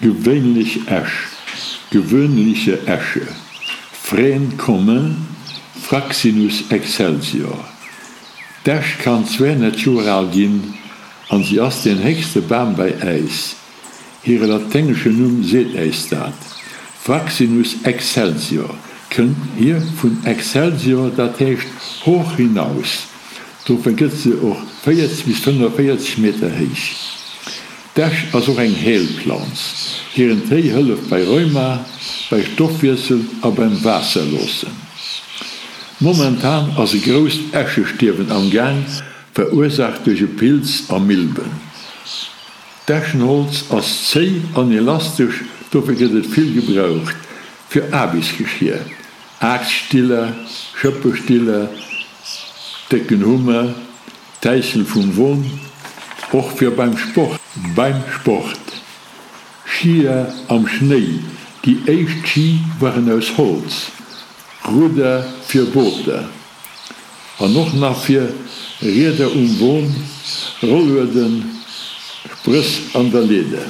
Gewéinlech Esch, Gewöhnliche Esche, Frêne commun, Fraxinus excelsior. D'Esch kann 200 Joer al ginn an si ass deen héchste Bam bei äis. Hire laténgeschen Numm seet äis dat, Fraxinus excelsior kënnt hier vun excelsior, dat heescht hoch hinaus. Dofir gëtt se och 40 bis 45 Meter héich. D'Esch ass och eng Heelplanz. Hiren Téi hëlleft bei Rheuma, bei Stoffwiessel a beim Waasserloossen. Momentan ass e grousst Eschestierwen am Gaang, verursaacht duerch e Pilz a Milben. D'Eschenholz ass zéi an elastesch, dofir gëtt et vill gebraucht fir Aarbechtsgeschier, Aaxtstiller, Schëppestiller, décken Hummer, Täissel vum Won, och fir beim Sport. Beim Sport, Skier am Schnéi, déi éischt Ski waren aus Holz, Rudder fir Booter an och nach fir Rieder um Won, Rollueden, Sprëss an der Leeder.